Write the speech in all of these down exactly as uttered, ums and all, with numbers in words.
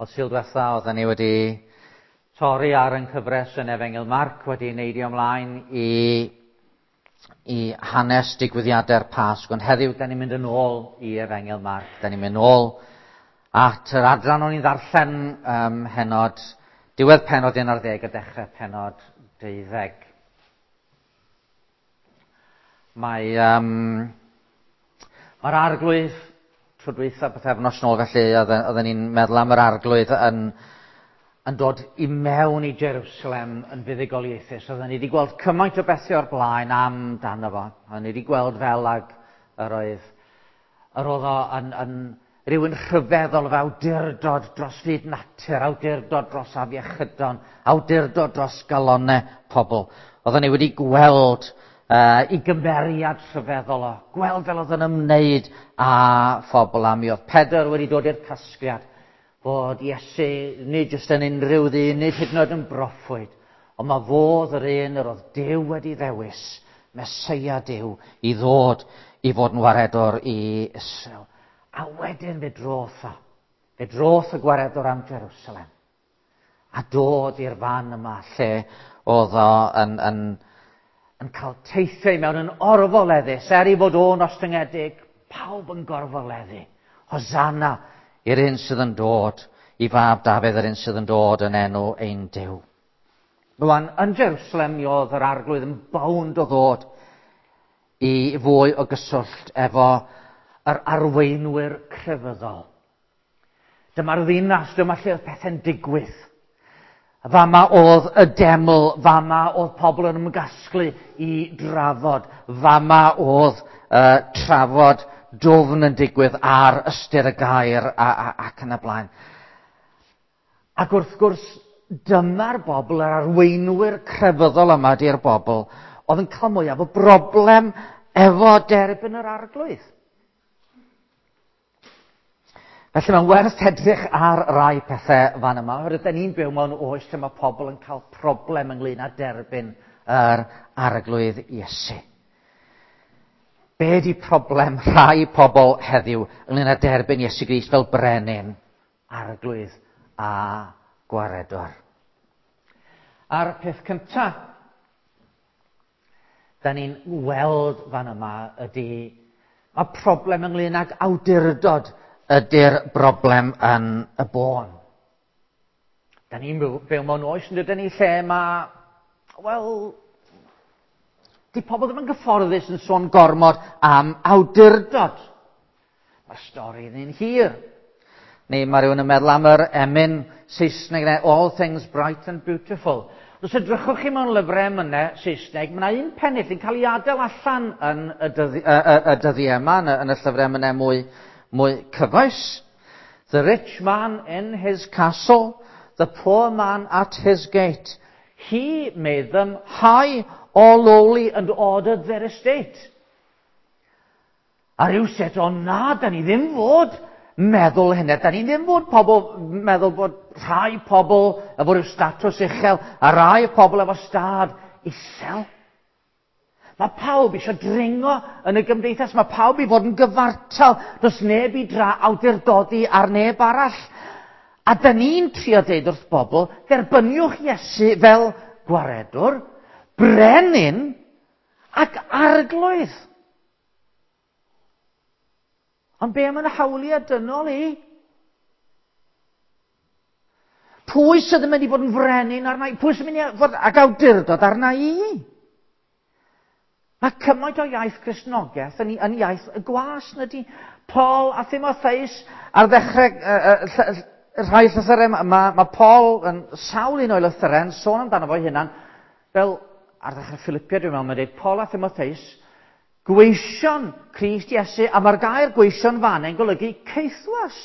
Oedd Sul diwetha, oedden ni wedi torri ar yn cyfres yn Efengyl Marc, wedi neidio ymlaen i, i hanes digwyddiadau'r Pasg. Ond heddiw, da ni'n mynd yn ôl i Efengyl Marc. Da ni'n mynd ôl at yr adran o'n i'n ddarllen um, henod, diwedd pennod un ar ddeg a dechrau pennod deuddeg. Mae, um, mae'r Arglwydd tro dwytha pythefnos nôl felly, oedden ni'n meddwl am yr Arglwydd yn, yn dod i mewn i Jerusalem yn fuddugoliaethus. Oedden ni wedi gweld cymaint o bethau o'r blaen am dano fo. Oedden ni wedi gweld fel ag yr oedd, yr oedd o yn, yn rhywun rhyfeddol efo awdurdod dros fyd natur, awdurdod dros afiechydon, awdurdod dros galonnau pobl. Oedden ni wedi gweld Uh, i gymeriad rhyfeddol o, gweld fel oedd yn ymwneud â phobl, a mi oedd Pedr wedi dod i'r casgliad fod Iesu nid jyst yn unrhyw ddyn, nid hyd yn oed yn broffwyd, ond mae fodd yr un yr oedd Duw wedi ddewis, Meseia Duw, i ddod i fod yn waredwr i Israel. A wedyn fe droth o, fe droth y gwaredwr am Jerusalem, a dod i'r fan yma lle oedd o yn, yn yn cael teithiau mewn yn orfoleddus, er i fod o'n ostyngedig, pawb yn gorfoleddu. Hosanna i'r un sydd yn dod, i fab Dafydd, yr un sydd yn dod yn enw ein Duw. Rwan, yn Jerusalem mi oedd yr Arglwydd yn bownd o ddod i fwy o gyswllt efo yr arweinwyr crefyddol. Dyma'r ddinas, dyma lle oedd pethau'n digwydd. Fama oedd y deml, fama oedd pobl yn ymgasglu i drafod, fama oedd uh, trafod dwfn yn digwydd ar ystyr y gair a, a, ac yn y blaen. Ac wrth gwrs, dyma'r bobl, yr arweinwyr crefyddol yma di'r bobl, oedd yn cael mwyaf o broblem efo derbyn yr Arglwydd. Felly mae'n werth edrych ar rai pethau fan yma, oherwydd da ni'n byw mewn oes lle mae pobl yn cael problem ynglyn â derbyn yr Arglwydd Iesu. Be di problem rhai pobl heddiw ynglyn â derbyn Iesu Grist fel brenin, Arglwydd a gwaredwr? A'r peth cyntaf da ni'n weld fan yma ydy mae problem ynglyn ag awdurdod ydy'r broblem yn y bôn. Da ni'n byw mewn oes yn dydyn ni lle mae, wel, di pobl ddim yn gyfforddus yn sôn gormod am awdurdod. Mae'r stori yn hir. Neu mae rhywun yn meddwl am yr emyn Saesneg, All Things Bright and Beautiful. Os edrychwch chi mewn lyfrau emynau Saesneg, mae yna un pennill yn cael ei adael allan yn y, dyddi, y, y, y dyddiau yma, yn y, yn y llyfrau emynau mwy mwy cyfoes. The rich man in his castle, the poor man at his gate. He made them high or lowly and ordered their estate. A rhywsut, o na, da ni ddim fod meddwl hynny. Da ni ddim fod pobl meddwl bod rhai pobl efo rhyw statws uchel a rhai pobl efo stad isel. Mae pawb eisiau dringo yn y gymdeithas, mae pawb i fod yn gyfartal, does neb i dra awdurdodi ar neb arall. A da ni'n trio deud wrth bobl, derbyniwch Iesu fel gwaredwr, brenin ac arglwydd. Ond be am yn hawliau dynol i? Pwy sydd yn mynd i fod yn frenin arna i? Pwy sydd yn mynd i fod ag awdurdod arna i? Mae cymaint o iaith Cristnogaeth yn, yn iaith y gwas na di. Paul a Timotheus ar ddechrau uh, uh, rhai llythyrau, mae ma, ma Paul yn sawl un o'i lythyrau yn sôn amdano fo'i hunan, fel ar ddechrau Philippiaid dwi'n meddwl, mae'n dweud Paul a Timotheus, gweision Crist Iesu, a mae'r gair gweision fan yn golygu caethwas.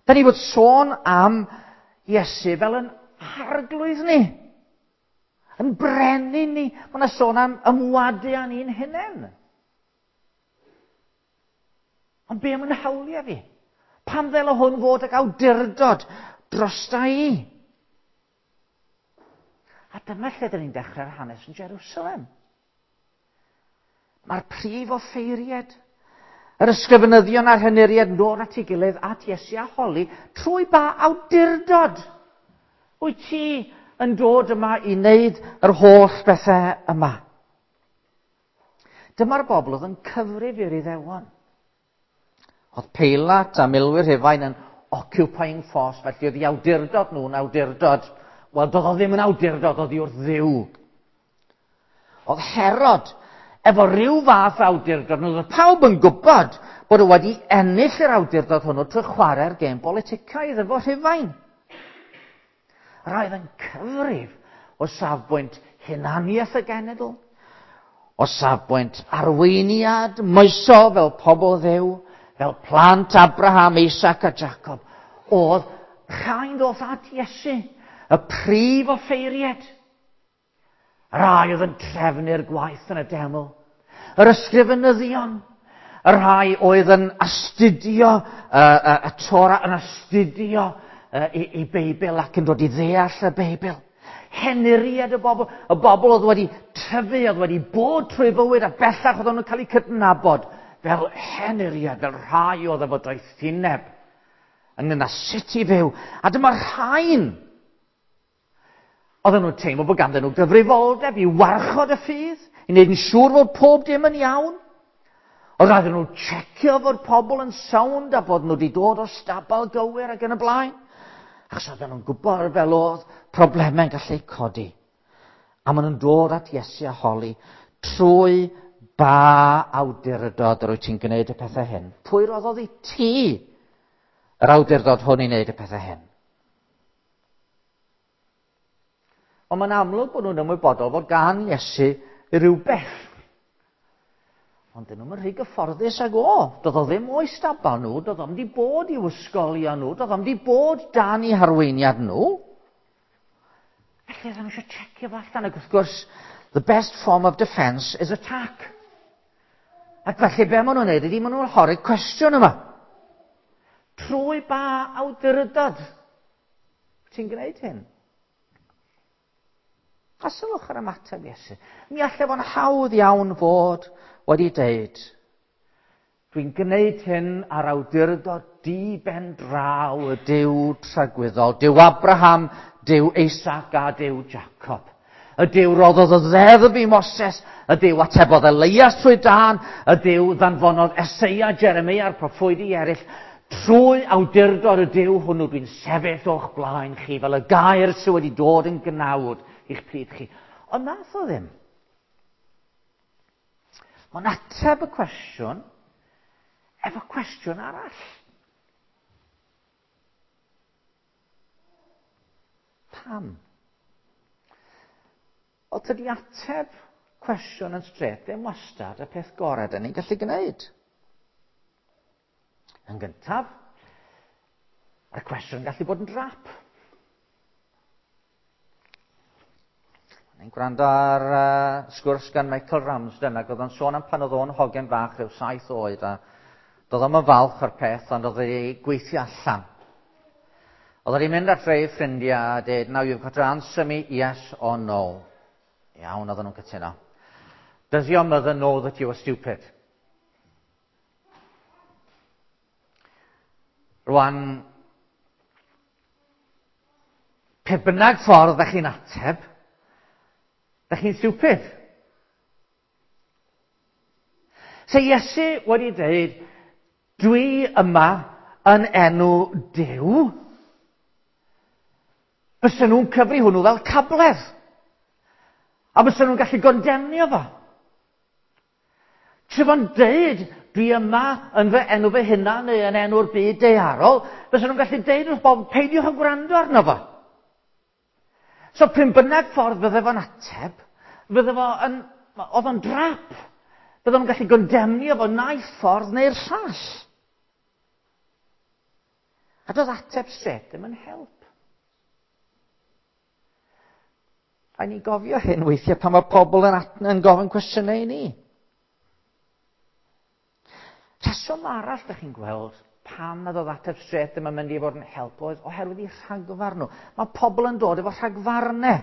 Da ni fod sôn am Iesu fel yn Arglwydd ni, yn brenin ni. Mae yna sôn am ymwadu â ni'n hunain. Ond be am yn hawliau fi? Pam ddyle hwn fod ag awdurdod drosta i? A dyma lle dyn ni'n dechrau'r hanes yn Jerusalem. Mae'r prif offeiriad, Yr ysgrifenyddion a'r henuriaid yn dod at ei gilydd at Iesu a holi, trwy ba awdurdod wyt ti yn dod yma i wneud yr holl bethau yma? Dyma'r bobl oedd yn cyfrif i'r Iddewon. Oedd Peilat a milwyr Rhufain yn occupying force, felly oedd i awdurdod nhw'n awdurdod. Wel, doedd o ddim yn awdurdod, oedd i wrth Dduw. Oedd Herod efo rhyw fath awdurdod, oedd pawb yn gwybod bod o wedi ennill yr awdurdod hwnnw trwy chwarae'r gêm boliticaidd efo Rhufain. Roedd yn cyfrif o safbwynt hunaniaeth y genedl, o safbwynt arweiniad moesol fel pobl Dduw, fel plant Abraham, Isaac a Jacob. Oedd rhain ddoth at Iesu, y prif offeiriad. Rai oedd yn trefnu'r gwaith yn y deml, yr ysgrifenyddion, y rhai oedd yn astudio uh, uh, y Torah, yn astudio uh, i, i Beibl ac yn dod i ddeall y Beibl. Henuriad y bobl, y bobl oedd wedi tyfu, oedd wedi bod trwy fywyd a bellach oedd nhw'n cael eu cydnabod fel henuriad, fel rhai oedd efo doethineb ynglyn â sut i fyw. A dyma'r rhain oedden nhw'n teimlo bod ganddyn nhw gyfrifoldeb i warchod y ffydd, i wneud yn siŵr fod pob dim yn iawn. Oedd rhaid nhw checio fod pobl yn sound a bod nhw wedi dod o'r stabal gywir ac yn y blaen. Achos oedden nhw'n gwybod fel oedd problemau'n gallu codi. A maen nhw'n dod at Iesu a holi trwy ba awdurdod yr wyt ti'n gwneud y pethau hyn. Pwy roddodd i ti yr awdurdod hwn i wneud y pethau hyn? Ond mae'n amlwg bod nhw'n ymwybodol fod gan Iesu rhywbeth. Ond dyn nhw'n rhy gyfforddus ag o. Doedd o ddim o'i stabal nhw, doedd o'm di bod i'w ysgolion nhw, doedd o'm di bod dan eu harweiniad nhw. Felly oedden nhw eisiau checio fo allan. Ac wrth gwrs, the best form of defence is attack. Ac felly be maen nhw'n neud ydy, maen nhw'n hori'r cwestiwn yma. Trwy ba awdurdod ti'n gwneud hyn? A sylwch ar ymateb Iesu. Mi allai fo'n hawdd iawn fod wedi deud, dwi'n gwneud hyn ar awdurdod di ben draw y Duw tragwyddol, Duw Abraham, Duw Isaac a Duw Jacob. Y Duw roddodd y ddeddf i Moses, y Duw atebodd Elias trwy dân, y Duw ddanfonodd Eseia, Jeremia a'r proffwydi eraill. Trwy awdurdod y Duw hwnnw dwi'n sefyll o'ch blaen chi fel y gair sydd wedi dod yn gnawd i'ch plith chi. Ond nath o ddim. Mae'n ateb y cwestiwn efo cwestiwn arall. Pam? Wel, tydi ateb cwestiwn yn straight ddim wastad y peth gorau dyn ni'n gallu gwneud. Yn gyntaf, mae'r cwestiwn yn gallu bod yn drap. Ni'n gwrando ar uh, sgwrs gan Michael Ramsden, ac oedd o'n sôn am pan oedd o'n hogen bach rhyw saith oed, a doedd o'm yn falch o'r peth, ond oedd ei gweithio allan. Oedd o'n mynd at rei ffrindiau a dweud, now you've got to answer me yes or no. Iawn, oedden nhw'n cytuno. Does your mother know that you are stupid? Rwan, pe bynnag ffordd ddech chi'n ateb, ddech chi'n stupid. So Iesu wedi dweud, dwi yma yn enw Duw, fysen nhw'n cyfri hwnnw fel cabledd. A fysen nhw'n gallu gondemnio fo. Trwy fo'n deud, dwi yma yn fy enw fy hunan neu yn enw'r byd daearol, fysen nhw'n gallu deud wrth bobl, peidiwch â gwrando arno fo. So pryn bynnag ffordd fydde fo'n ateb, fydde fo yn, oedd o'n drap. Fydde nhw'n gallu gondemnio fo naill ffordd neu'r llall. A doedd ateb straight ddim yn help. A ni'n gofio hyn weithiau pan mae pobl yn, yn gofyn cwestiynau i ni. Rheswm arall ydych chi'n gweld pam nad oedd ateb straight ddim yn mynd i fod yn help oedd oherwydd eu rhagfarn nhw. Mae pobl yn dod efo rhagfarnau.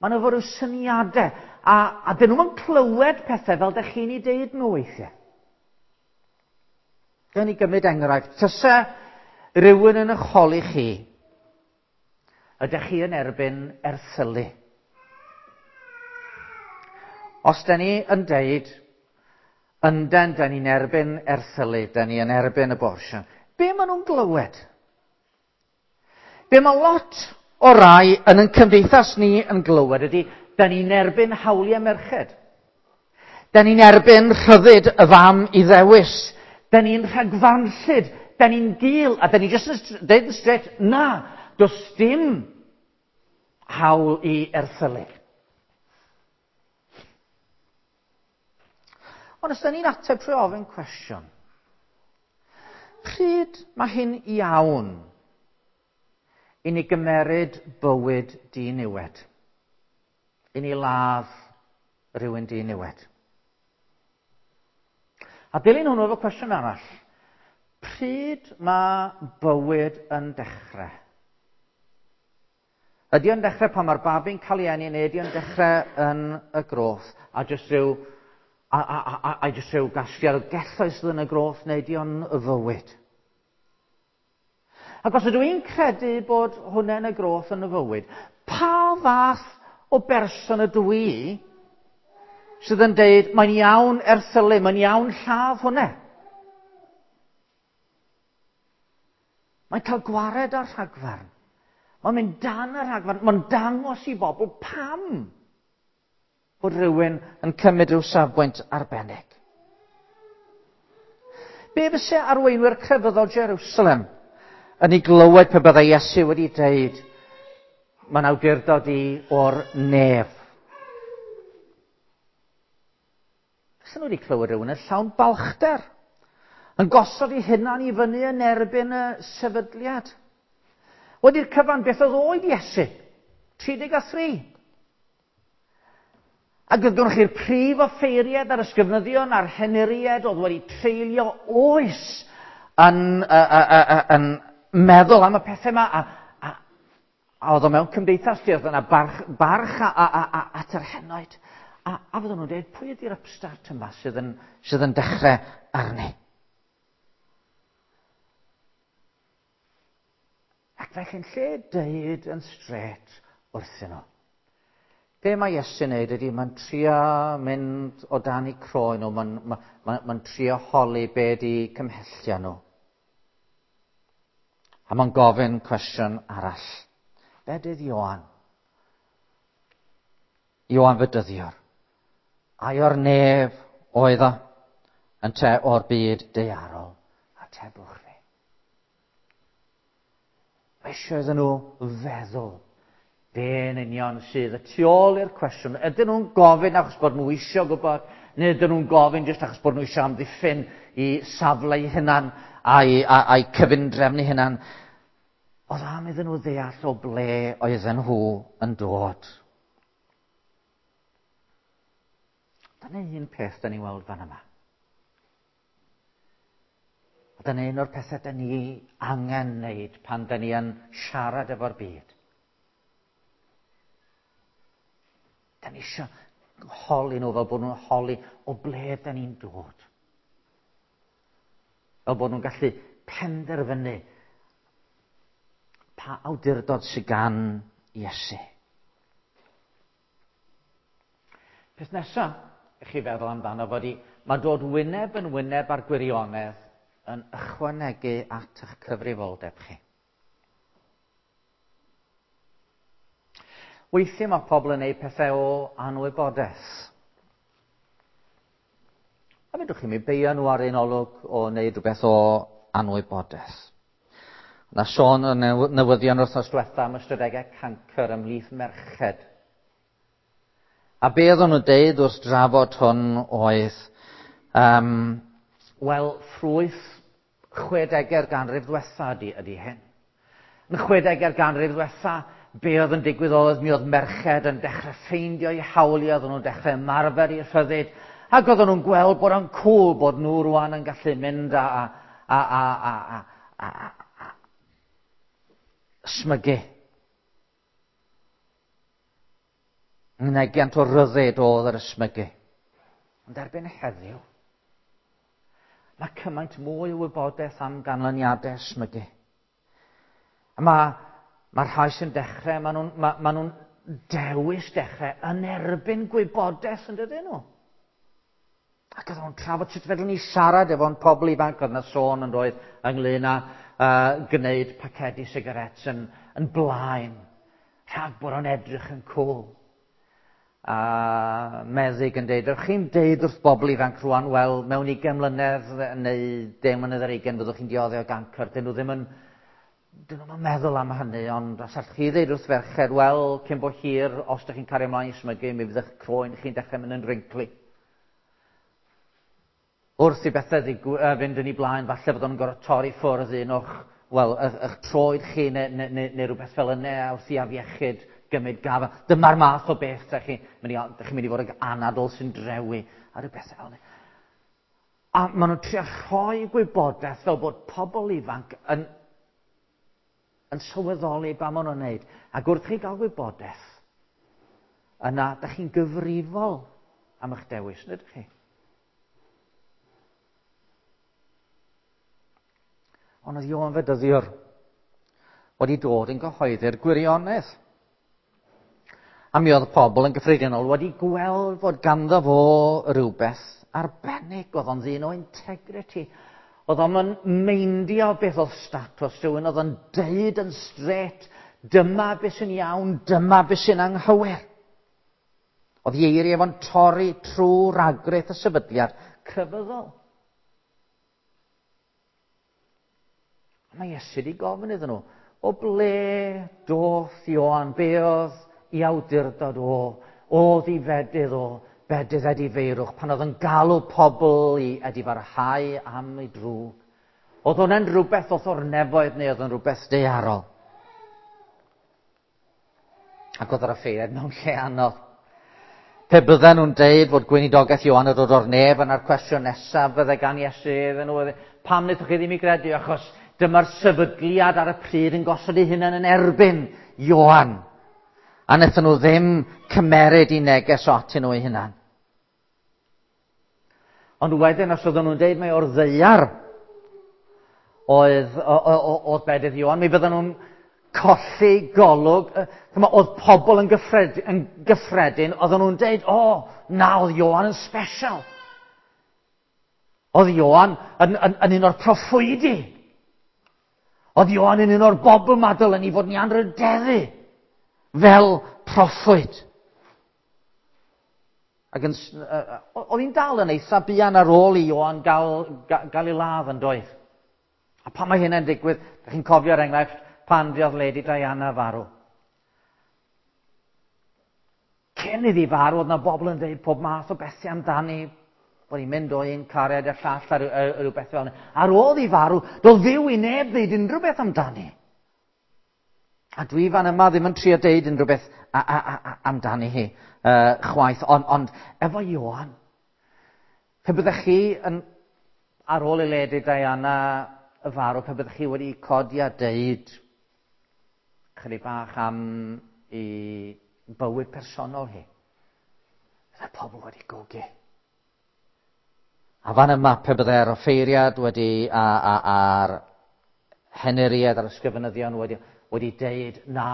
Maen nhw efo rhyw syniadau. A, a dyn nhw'n clywed pethau fel ydych chi'n ei deud nhw weithiau. Gawn ni gymryd enghraifft. Tase rhywun yn eich holi chi, ydych chi yn erbyn erthylu? Os da ni yn deud, ynden, da ni'n erbyn erthylu, da ni yn erbyn abortion, be maen nhw'n glywed? Be mae lot o rai yn ein cymdeithas ni yn glywed ydy, da ni'n erbyn hawliau merched. Da ni'n erbyn rhyddid y fam i ddewis. Da ni'n rhagfarnllyd, da ni'n gul, a da ni jyst yn deud yn straight, na, does dim hawl i erthylu. Ond os da ni'n ateb trwy ofyn cwestiwn, pryd mae hyn iawn i ni gymeryd bywyd diniwed? I ni ladd rhywun diniwed? A dilyn hwnnw efo cwestiwn arall, pryd mae bywyd yn dechrau? Ydy o'n dechrau pan mae'r babi'n cael ei eni, neu ydy o'n dechrau yn y groth, a jyst rhyw, a, a, a, a jyst rhyw gasgliad o gelloedd sydd yn y groth, neu ydy o'n y fywyd? Ac os ydw i'n credu bod hwnna yn y groth yn y fywyd, pa fath o berson ydw i sydd yn deud, mae'n iawn erthylu, mae'n iawn lladd hwnna? Mae'n cael gwared ar rhagfarn. Mae'n mynd dan y rhagfarn. Mae'n dangos i bobl pam bod rhywun yn cymryd rhyw safbwynt arbennig. Be fyse arweinwyr crefyddol Jerusalem yn ei glywed pe byddai Iesu wedi deud, mae'n awdurdod i o'r nef? Fysen nhw wedi clywed rhywun yn llawn balchder, yn gosod ei hunan i fyny yn erbyn y sefydliad. Wedi'r cyfan, beth oedd oed Iesu? tri deg a thri. Ac oedd gennych chi'r prif offeiriad a'r ysgrifenyddion a'r henuriaid oedd wedi treulio oes yn, uh, uh, uh, yn meddwl am y pethau yma, a, a, a oedd o mewn cymdeithas lle oedd yna barch, barch a, a, a, a, at yr henoed. A, a fydden nhw'n dweud, pwy ydy'r upstart yma sydd yn, sydd yn dechrau arni? Ac felly'n lle deud yn straight wrthyn nhw, be mae Iesu'n neud ydy, mae'n trio mynd o dan eu croen nhw, mae'n ma, ma, ma trio holi be ydy cymhellion nhw. A mae'n gofyn cwestiwn arall. Bedydd Ioan? Ioan Fedyddiwr. Ai o'r nef oedd o, ynte o'r byd daearol? Atebwch fi. Mae eisiau iddyn nhw feddwl be yn union sydd y tu ôl i'r cwestiwn. Ydyn nhw'n gofyn achos bod nhw eisiau gwybod, neu ydyn nhw'n gofyn jyst achos bod nhw eisiau amddiffyn i safle eu hunan a'i, a'i cyfundrefn eu hunan? Oedd am iddyn nhw ddeall o ble oedden nhw yn dod. Dyna un peth da ni'n weld fan yma. A dyna un o'r pethau da ni angen wneud pan da ni yn siarad efo'r byd. Da ni eisiau holi nhw fel bod nhw'n holi o ble da ni'n dod. Fel bod nhw'n gallu penderfynu pa awdurdod sydd gan Iesu. Peth nesaf i chi feddwl amdano fod i, mae dod wyneb yn wyneb ar gwirionedd yn ychwanegu at eich cyfrifoldeb chi. Weithiau mae pobl yn gwneud pethau o anwybodaeth. A fedrwch chi mi beio nhw ar un olwg o wneud rhywbeth o anwybodaeth. Na sôn yn newyddion wythnos diwetha am ystadegau cancr ymhlith merched. A be oedden nhw'n deud wrth drafod hwn oedd, um, wel, ffrwyth chwedegau'r ganrif ddiwetha ydy, ydy hyn. Yn chwedegau'r ganrif ddiwetha, be oedd yn digwydd oedd, mi oedd merched yn dechrau ffeindio eu hawliau, oedden nhw'n dechrau ymarfer eu rhyddid, ac oedden nhw'n gweld bod o'n cŵl bod nhw rwan yn gallu mynd a, a, a, a, a, a, a, a, a smygu. Mynegiant o ryddid oedd yr ysmygu. Ond erbyn heddiw, Mae cymaint mwy o wybodaeth am ganlyniadau ysmygu. A mae, mae rhai sy'n dechrau, maen nhw'n ma, ma nhw'n dewis dechrau yn erbyn gwybodaeth, yn dydyn nhw? Ac oedden nhw'n trafod sut fedrwn ni siarad efo'n pobl ifanc, oedd yna sôn yn doedd ynglyn â uh, gwneud pacedi sigarets yn, yn blaen, rhag bod o'n edrych yn cool. A meddyg yn deud, ydych chi'n deud wrth bobl ifanc rwan, wel, mewn ugain mlynedd neu deng mlynedd ar ugain fyddwch chi'n dioddef o gancr. Dyn nhw ddim yn, dyn nhw'n meddwl am hynny, ond os allwch chi ddeud wrth ferched, wel, cyn bo hir, os ydych chi'n cario ymlaen i smygu, mi fydd eich croen chi'n dechrau mynd yn wrinkly. Wrth i bethau fynd yn ei blaen, falle byddwn nhw'n gorfod torri ffwrdd un o'ch, wel, eich, eich troed chi neu, neu, neu, neu rhywbeth fel yna wrth i afiechyd gymryd gafel. Dyma'r math o beth da chi'n mynd i, da chi'n mynd i fod ag anadl sy'n drewi a rhywbeth fel yna. A maen nhw'n trio rhoi gwybodaeth fel bod pobl ifanc yn, yn sylweddoli ba maen nhw'n wneud. Ac wrth chi gael gwybodaeth, yna da chi'n gyfrifol am eich dewis, nid chi? Ond oedd Ioan Fedyddiwr wedi dod yn gyhoeddi'r gwirionedd. A mi oedd pobl yn gyffredinol wedi gweld fod ganddo fo rhywbeth arbennig. Oedd o'n ddyn o integrity. Oedd o'n meindio beth oedd statws rhywun. Oedd o'n deud yn straight, dyma beth sy'n iawn, dyma beth sy'n anghywir. Oedd ei eiriau fo'n torri trwy ragrith y sefydliad crefyddol. Mae Iesu wedi gofyn iddyn nhw, o ble doth Ioan, be oedd i awdurdod o, oedd i fedydd o, bedydd edifeirwch, pan oedd yn galw pobl i edifarhau am ei drwg. Oedd hwnna'n rhywbeth oedd o'r nefoedd neu oedd yn rhywbeth daearol? Ac oedd yr offeiriad mewn lle anodd. Pe bydden nhw'n deud fod gweinidogaeth Ioan yn dod o'r nef, yna'r cwestiwn nesaf fydde gan Iesu iddyn nhw, pam wnaethoch chi ddim i gredu? Achos dyma'r sefydliad ar y pryd yn gosod ei hunan yn erbyn Ioan. A wnaethon nhw ddim cymeryd i neges o atyn nhw eu hunan. Ond wedyn, os oedden nhw'n deud mai o'r ddaear oedd, oedd bedydd Ioan, mi fydden nhw'n colli golwg. Oedd pobl yn gyffredin, yn gyffredin, oedden nhw'n deud, o, na, oedd Ioan yn special. Oedd Ioan yn, yn, yn un o'r proffwydi. Oedd Ioan yn un o'r bobl ma dylen ni fod ni anrhydeddu fel proffwyd. Ac yn, uh, oedd hi'n dal yn eitha buan ar ôl i Ioan gael, gael ei ladd yn doedd. A pan mae hynny'n digwydd, da chi'n cofio'r enghraifft pan fuodd Lady Diana farw. Cyn iddi farw, oedd na bobl yn dweud pob math o bethau amdani, bod hi'n mynd o un cariad i'r llall a rhywbeth fel yna. Ar ôl i farw, doedd fyw i neb ddeud unrhyw beth amdani. A dwi fan yma ddim yn trio deud unrhyw beth a, a, a, a, amdani hi uh, chwaith. Ond, ond efo Ioan, pe byddech chi yn, ar ôl i Lady Diana y farw, pe byddech chi wedi codi a deud chydig bach am ei bywyd personol hi, byddai pobl wedi gogi. A fan yma, pe byddai'r offeiriad wedi, a, a, a'r henuriad a'r ysgrifenyddion wedi, wedi deud na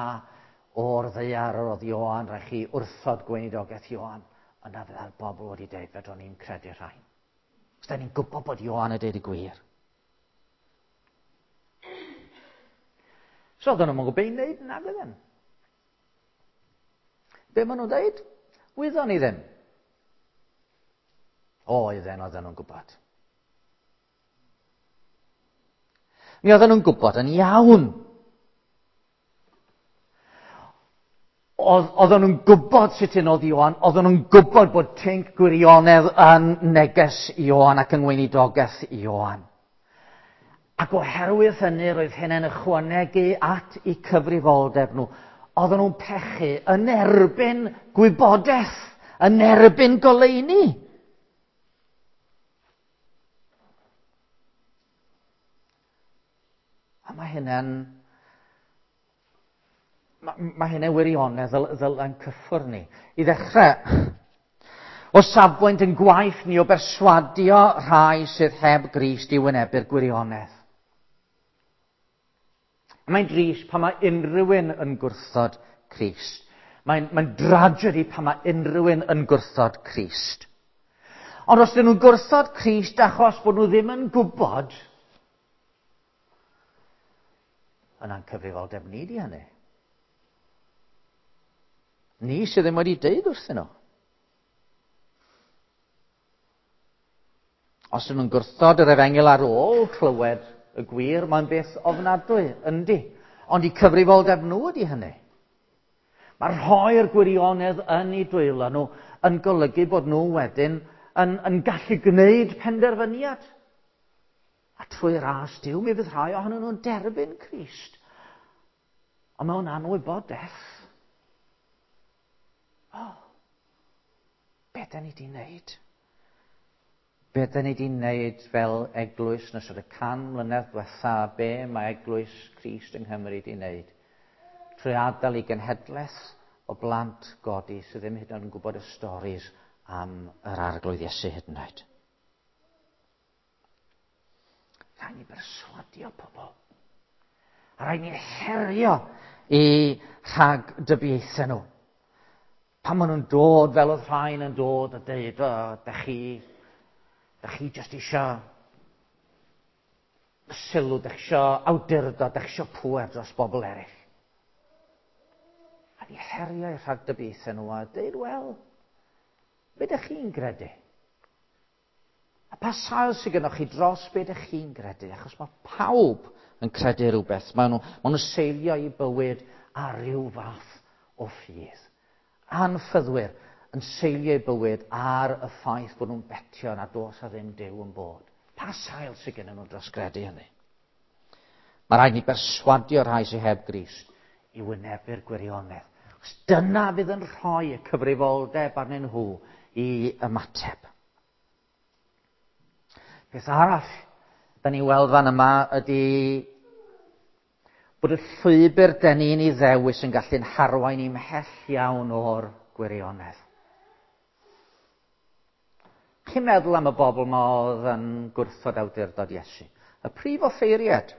o'r ddaear oedd Ioan, rhaid chi wrthod gweinidogaeth Ioan, yna fyddai'r bobl wedi deud, fedrwn ni'n credu rhain. Os da ni'n gwybod bod Ioan yn deud y gwir. So oedden nhw'n gwybod beth i wneud, nag oedden. Be maen nhw'n deud? Wyddon ni ddim. Oedden, oedden nhw'n gwybod. Mi oedden nhw'n gwybod yn iawn. Oedden nhw'n gwybod sut un oedd Ioan, oedden nhw'n gwybod bod tinc gwirionedd yn neges Ioan ac yng ngweinidogaeth Ioan. Ac oherwydd hynny, roedd hynny'n ychwanegu at eu cyfrifoldeb nhw. Oedden nhw'n pechu yn erbyn gwybodaeth, yn erbyn goleuni. A mae hynny'n mae, mae hynny'n wirionedd ddyl, ddyl yn cyffwrdd ni. I ddechrau, O safbwynt yn gwaith ni o berswadio rhai sydd heb Grist i wynebu'r gwirionedd. Mae'n drist pan mae unrhyw un yn gwrthod Crist. Mae'n, mae'n dragedy pan mae unrhyw un yn gwrthod Crist. Ond os dyn nhw'n gwrthod Crist achos bod nhw ddim yn gwybod, yna'n cyfrifoldeb ni di hynny. Ni sydd ddim wedi deud wrthyn nhw. Os ydyn nhw'n gwrthod yr efengyl ar ôl clywed y gwir, mae'n beth ofnadwy, yndi. Ond i cyfrifoldeb nhw ydi hynny. Mae rhoi'r gwirionedd yn eu dwylo nhw yn golygu bod nhw wedyn yn, yn gallu gwneud penderfyniad. A trwy ras Duw, mi fydd rhai ohonyn nhw'n derbyn Crist. Ond mewn anwybodaeth. O, oh, be da ni di wneud? Be da ni di wneud fel eglwys yn ystod y can mlynedd diwetha, be mae eglwys Crist yng Nghymru di wneud? Trwy adael i genhedlaeth o blant godi sydd ddim hyd yn oed yn gwybod y storis am yr Arglwydd Iesu hyd yn oed. Rhaid ni berswadio pobl. A rhaid ni herio i rhag dybiaethau nhw. Pan maen nhw'n dod fel oedd rhain yn dod a deud, o, da chi, da chi jyst isio sylw, da chi isio awdurdod, da chi isio pŵer dros bobl eraill. A ni herio i rhag dybiaethau nhw a deud, wel, be da chi'n gredu? A pa sail sydd gennych chi dros be da chi'n gredu? Achos mae pawb yn credu rhywbeth. Maen nhw, maen nhw seilio eu bywyd ar ryw fath o ffydd. Anffyddwyr yn seilio eu bywyd ar y ffaith bod nhw'n betio na dos a ddim Duw yn bod. Pa sail sydd gennyn nhw dros gredu hynny? Mae rhaid ni berswadio rhai sydd heb Grist i wynebu'r gwirionedd. Achos dyna fydd yn rhoi y cyfrifoldeb arnyn nhw i ymateb. Peth arall da ni'n weld fan yma ydy bod y llwybr da ni'n ei ddewis yn gallu'n harwain i mhell iawn o'r gwirionedd. Chi'n meddwl am y bobl ma oedd yn gwrthod awdurdod Iesu? Y prif offeiriad,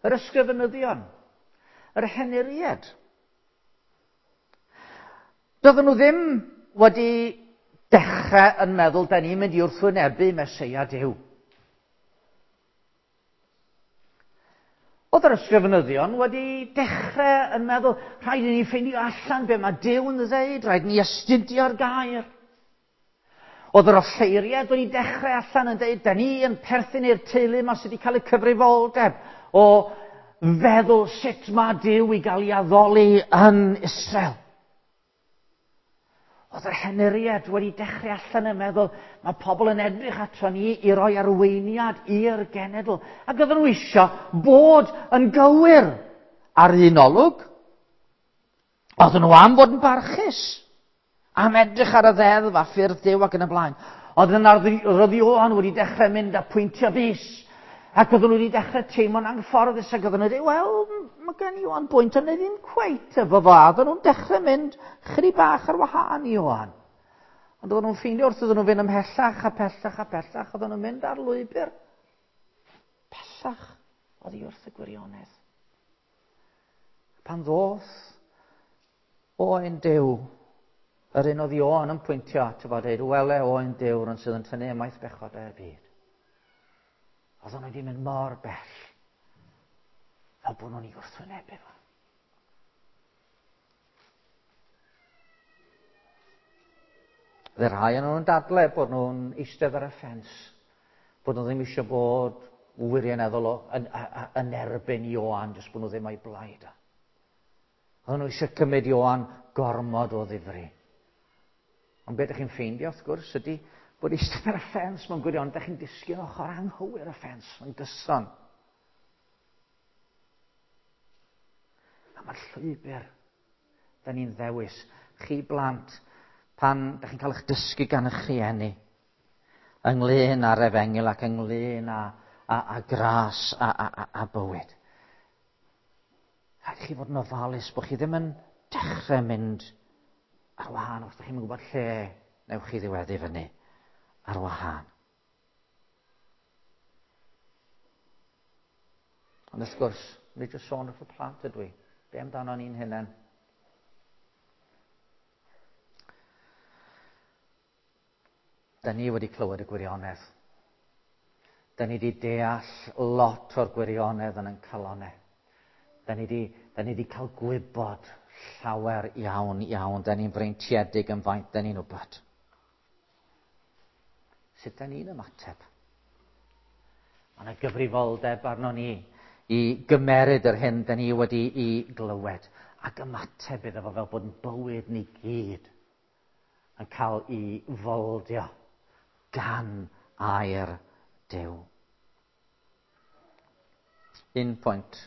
yr ysgrifenyddion, yr henuriad. Doedden nhw ddim wedi dechrau yn meddwl, da ni'n mynd i wrthwynebu Meseia Duw. Oedd yr ysgrifenyddion wedi dechrau yn meddwl, rhaid i ni ffeindio allan be mae Duw yn ddeud, rhaid i ni astudio'r gair. Oedd yr offeiriad wedi dechrau allan yn dweud, da ni yn perthyn i'r teulu yma sydd wedi cael y cyfrifoldeb o feddwl sut mae Duw i gael ei addoli yn Israel. Oedd yr henuriad wedi dechrau allan yn meddwl, mae pobl yn edrych ato ni i roi arweiniad i'r genedl. Ac oedden nhw eisiau bod yn gywir ar un olwg. Oedden nhw am fod yn barchus, am edrych ar y ddeddf a ffyrdd Duw ac yn y blaen. Oedd yna roedd Ioan wedi dechrau mynd a pwyntio bys. Ac oedden nhw wedi dechrau teimlo'n anghyfforddus ac oedden nhw wedi, wel, mae gen Ioan bwynt, ond ddim cweit efo fo. Oedden nhw'n dechrau mynd chydig bach ar wahân i Ioan. Ond oedden nhw'n ffeindio wrth iddyn nhw fynd ymhellach a pellach a pellach, oedden nhw'n mynd ar lwybr pellach oddi wrth y gwirionedd. Pan ddoth Oen Duw, yr un oedd Ioan yn pwyntio ato fo, dweud, wele Oen Duw, rhan sydd yn tynnu ymaith bechodau'r byd. Oedden nhw wedi mynd mor bell, fel bod nhw'n ei wrthwynebu fo. Fy rhai yn nhw'n dadle bod nhw'n eistedd ar y ffens, bod nhw ddim eisiau bod wirioneddol o, yn, yn erbyn Ioan, jyst bod nhw ddim o'i blaid. Oedden nhw eisiau cymryd Ioan gormod o ddifri. Ond beth ydych chi'n ffeindio, wrth gwrs, ydy bod eistedd ar y ffens mewn gwirionedd, ydych chi'n disgyn ochr anghywir y ffens yn gyson. A mae'r llwybr da ni'n ddewis. Chi blant, pan ydych chi'n cael eich dysgu gan eich rhieni, ynglyn â'r efengyl ac ynglyn â, â, â gras a, a, a, a bywyd. Rhaid chi fod yn ofalus bod chi ddim yn dechrau mynd ar wahân os ydych chi'n gwybod lle Newch chi ddiweddu fyny ar wahân. Ond wrth gwrs, nid jyst sôn wrth y plant ydw i. Be amdano ni'n hunain? Da ni wedi clywed y gwirionedd. Da ni wedi deall lot o'r gwirionedd yn ein calonnau. Da ni wedi, da ni wedi cael gwybod llawer iawn, iawn. Da ni'n freintiedig yn faint, da ni'n wybod. Sut da ni'n ymateb? Mae yna gyfrifoldeb arno ni i gymeryd yr hyn da ni wedi i glywed ac ymateb iddo fo fel bod yn bywyd ni gyd yn cael ei foldio gan air Duw. Un pwynt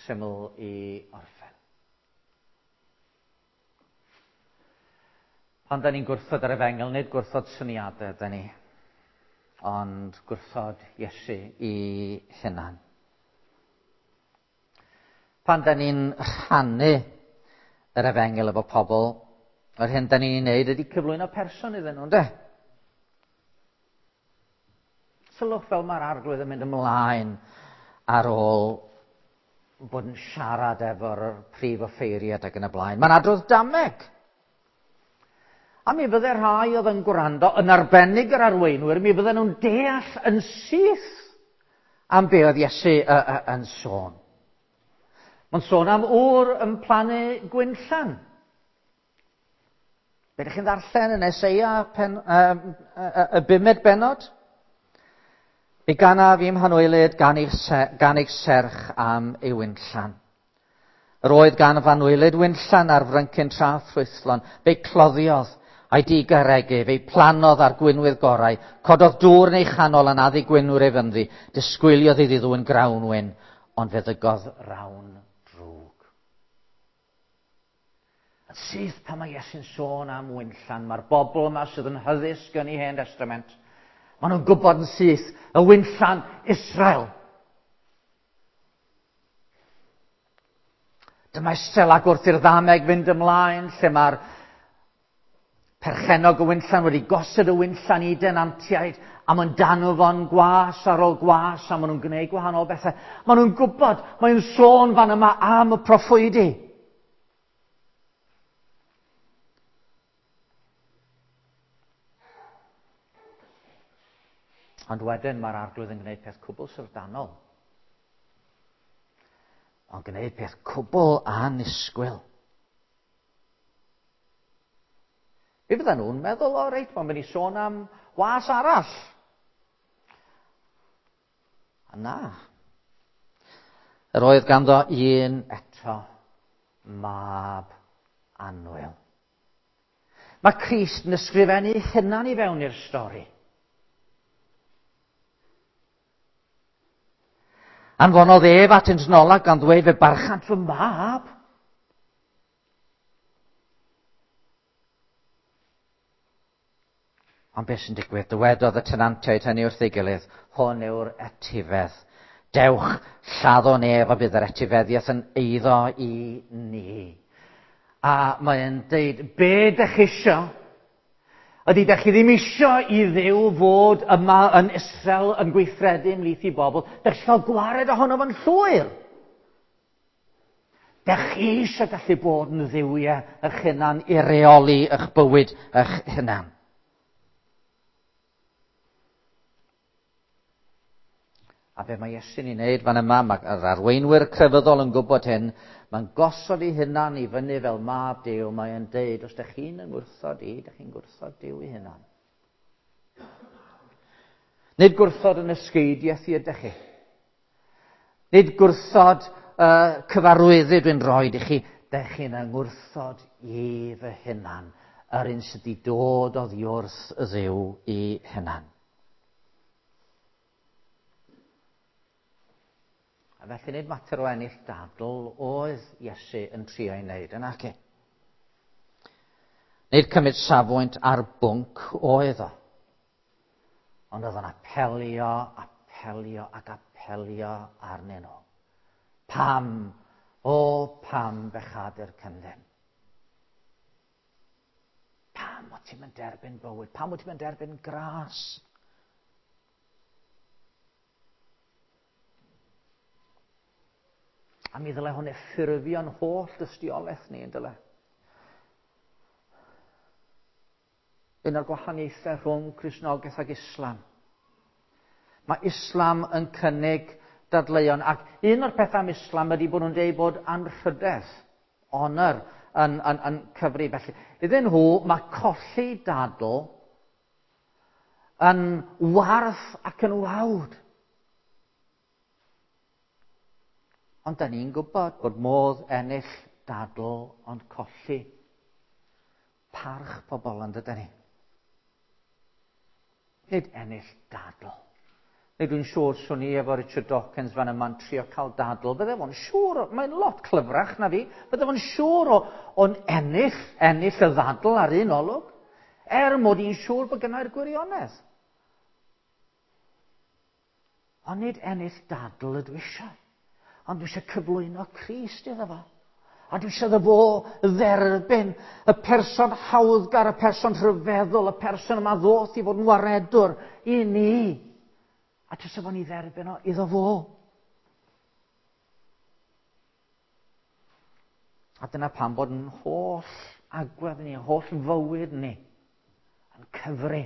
syml i orffen. Pan da ni'n gwrthod yr efengyl, nid gwrthod syniadau da ni, ond gwrthod Iesu i hunan. Pan da ni'n rhannu yr efengyl efo pobl, yr hyn da ni'n ei wneud ydy cyflwyno person iddyn nhw, ynde? Sylwch fel mae'r arglwydd yn mynd ymlaen ar ôl bod yn siarad efo'r prif offeiriad ac yn y blaen. Mae'n adrodd dameg. A mi fydde rhai oedd yn gwrando, yn arbennig yr arweinwyr, mi fydden nhw'n deall yn syth am be oedd Iesu uh, uh, yn sôn. Mae'n sôn am ŵr yn plannu gwinllan. Be ydych chi'n ddarllen yn Eseia pen, uh, uh, y bumed bennod? Mi ganaf i'm hanwylyd gan eich, gan eich serch am ei winllan. Yr oedd gan f'anwylyd winllan ar fryncyn tra ffrwythlon. Fe'i cloddiodd a'i digaregu, fe'i plannodd ar gwinwydd gorau, cododd dŵr yn ei chanol yn addu gwinwyr ei fynddi, disgwyliodd iddi ddwyn grawnwin, ond fe ddygodd rawn drwg. Yn syth pan mae Iesu'n sôn am winllan, mae'r bobl yma sydd yn hyddysg yn ei Hen Testament, maen nhw'n gwybod yn syth y winllan Israel. Dyma Israel ac wrth i'r ddameg fynd ymlaen, lle mae'r perchennog y winllan wedi gosod y winllan i denantiaid, a mae'n danw fo'n gwas ar ôl gwas, a maen nhw'n gwneud gwahanol bethau. Maen nhw'n gwybod, mae'n sôn fan yma am y proffwydi. Ond wedyn mae'r arglwydd yn gwneud peth cwbl syfrdanol. Ond gwneud peth cwbl annisgwyl. Be fyddan nhw'n meddwl, o reit, mae'n mynd i sôn am was arall. A na. Yr oedd ganddo un eto, mab annwyl. Mae Crist yn ysgrifennu hunan i fewn i'r stori. Anfonodd ef at Insnola gan ddweud fe barchant fy mab. Ond beth sy'n digwydd? Dywedodd y tenantiaid hynny wrth ei gilydd, hwn yw'r etifedd. Dewch, lladdon ef a bydd yr etifeddiaeth yn eiddo i ni. A mae'n deud, be dych chi isio? Ydy, dych chi ddim isio i Dduw fod yma yn Israel yn gweithredu ymhlith i bobl. Dych chi cael gwared ohono fo'n llwyr. Dych chi eisiau gallu bod yn dduwiau eich hunan i reoli eich bywyd eich hunan. A be mae Iesu'n ei wneud fan yma, mae'r arweinwyr crefyddol yn gwybod hyn, mae'n gosod ei hunan i fyny fel mab Duw, mae'n deud, os ydych chi'n yngwrthod i, ydych chi'n gwrthod Duw ei hunan. Nid gwrthod yn ysgeidiaeth i ydych chi. Nid gwrthod uh, cyfarwyddyd dwi'n rhoi i chi, ydych chi'n yngwrthod i fy hunan, yr un sydd wedi dod oddi wrth y Dduw i hunan. A felly nid mater o ennill dadl oedd Iesu yn trio ei wneud yn ac. Nid cymryd safbwynt ar bwnc oedd o. Ond oedd o'n apelio, apelio ac apelio arnyn nhw. Pam, o pam bechadur cyndyn? Pam o ti'n mynd derbyn bywyd? Pam o ti'n mynd derbyn gras? A mi ddyle hwn ffurfio'n holl dystiolaeth ni, yn dyle. Un o'r gwahaniaethau rhwng Cristnogaeth ac Islam. Mae Islam yn cynnig dadleuon, ac un o'r pethau am Islam ydy bod nhw'n dweud bod anrhydedd, honor, yn, yn, yn cyfri. Felly, iddyn nhw, mae colli dadl yn warth ac yn wawd. Ond da ni'n gwybod bod modd ennill dadl ond colli parch pobl, yn dydyn ni. Nid ennill dadl. Neu dwi'n siŵr swn i efo Richard Dawkins fan yma'n trio cael dadl. Bydde fo'n siŵr, mae'n lot clyfrach na fi, bydde fo'n siŵr o, o'n ennill, ennill y ddadl ar un olwg, er mod i'n siŵr bod gynnau'r gwirionedd. Ond nid ennill dadl ydw eisiau. Ond dwi eisiau cyflwyno Crist iddo fo. A dwi eisiau iddo fo dderbyn y person hawddgar, y person rhyfeddol, y person yma ddoth i fod yn waredwr i ni. A dwi eisiau fo ni dderbyn o iddo fo. A dyna pam bod yn holl agwedd ni, holl fywyd ni, yn cyfri.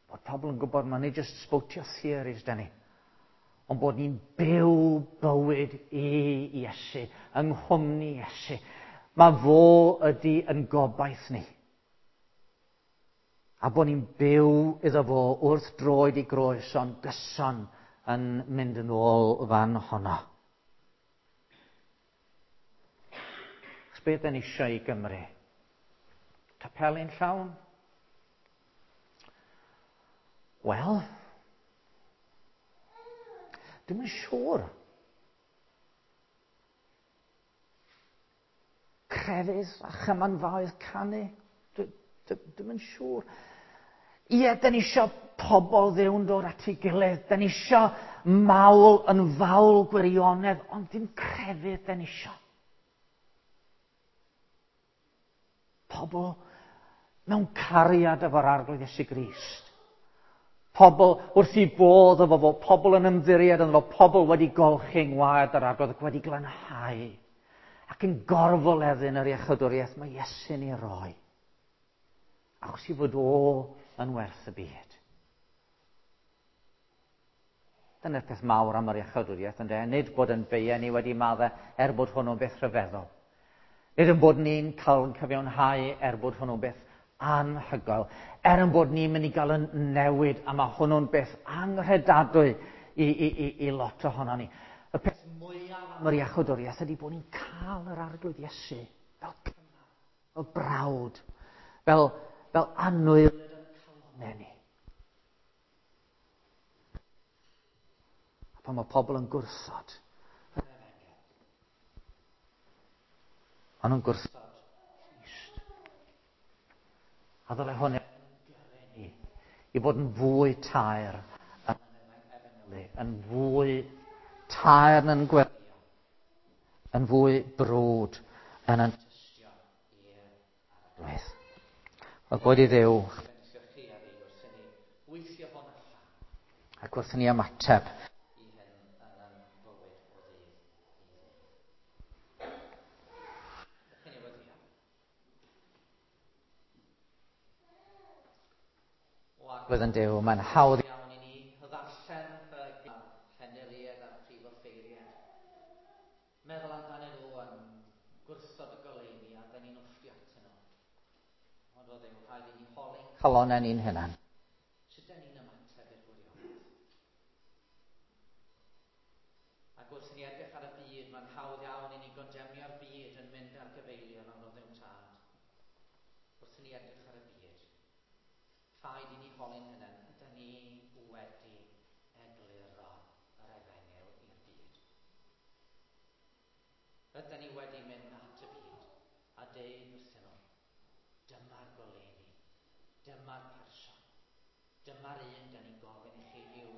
Bod pobl yn gwybod mae nid just spotio theories da ni, ond bod ni'n byw bywyd i Iesu, yng nghwmni Iesu. Mae fo ydy yn gobaith ni. A bod ni'n byw iddo fo wrth droed i groes, ond gyson yn mynd yn ôl fan honno. Chos beth yn eisiau i Gymru? Capeli'n llawn? Wel, dwi'm yn siŵr. Crefydd a chymanfaoedd canu. Dwi'm yn siŵr. Ie, da ni isio pobl Dduw'n dod at ei gilydd. Da ni isio mawl yn fawl gwirionedd, ond dim crefydd da ni isio. Pobl mewn cariad efo'r Arglwydd Iesu Grist. Pobl wrth i bodd efo fo, pobl yn ymddiried ynddo fo, pobl wedi golchi yng ngwaed yr Arglwydd ac wedi glanhau ac yn gorfoleddu yn yr iachawdwriaeth mae Iesu'n ei roi. Achos i fod o yn werth y byd. Dyna'r peth mawr am yr iachawdwriaeth, ynde? Nid bod yn beia ni wedi maddau er bod hwnnw'n beth rhyfeddol. Nid yn bod ni'n cael yn cyfiawnhau er bod hwnnw'n beth anhygoel. Er yn bod ni'n mynd i gael yn newid, a mae hwnnw'n beth anghredadwy i, i, i, i lot ohono ni. Y peth mwyaf am yr iachawdwriaeth ydy bod ni'n cael yr Arglwydd Iesu fel cymar, fel brawd, fel, fel annwyl yn calonnau ni. A pan mae pobl yn gwrthod, maen nhw'n gwrthod Crist. A ddylai hwn yn gyrru ni i fod yn fwy taer yn efengylu, yn fwy taer yn gweddïo, yn fwy brwd yn yn tystio i'r Arglwydd. Wel, boed i Dduw bendithio chi a fi wrth i ni weithio hwn allan ac wrth i ni ymateb i hyn yn ein bywyd o ddydd i ddydd. Dewch i ni weddïo. O Arglwydd yn Duw, mae'n hawdd iawn i ni ddarllen y llenyddiaeth a'r prif offeiriad. Meddwl amdanyn nhw yn gwrthod y goleuni a dyn ni'n wfftio atyn nhw. Ond o Dduw, rhaid i ni holi'n calonnau ni'n hunan. Sut dyn ni'n ymateb i'r gwirionedd? Ac wrth i ni edrych ar y byd, mae'n hawdd iawn i ni gondemnio'r byd yn mynd ar gyfeilion ond o Dduw Tad. Wrth i ni edrych ar y byd, rhaid i ni holi'n hunan, ydyn ni wedi egluro yr efengyl i'r byd? Ydyn ni wedi mynd at y byd a deud wrthyn nhw, dyma'r goleuni, dyma'r person, dyma'r un dyn ni'n gofyn i chi i'w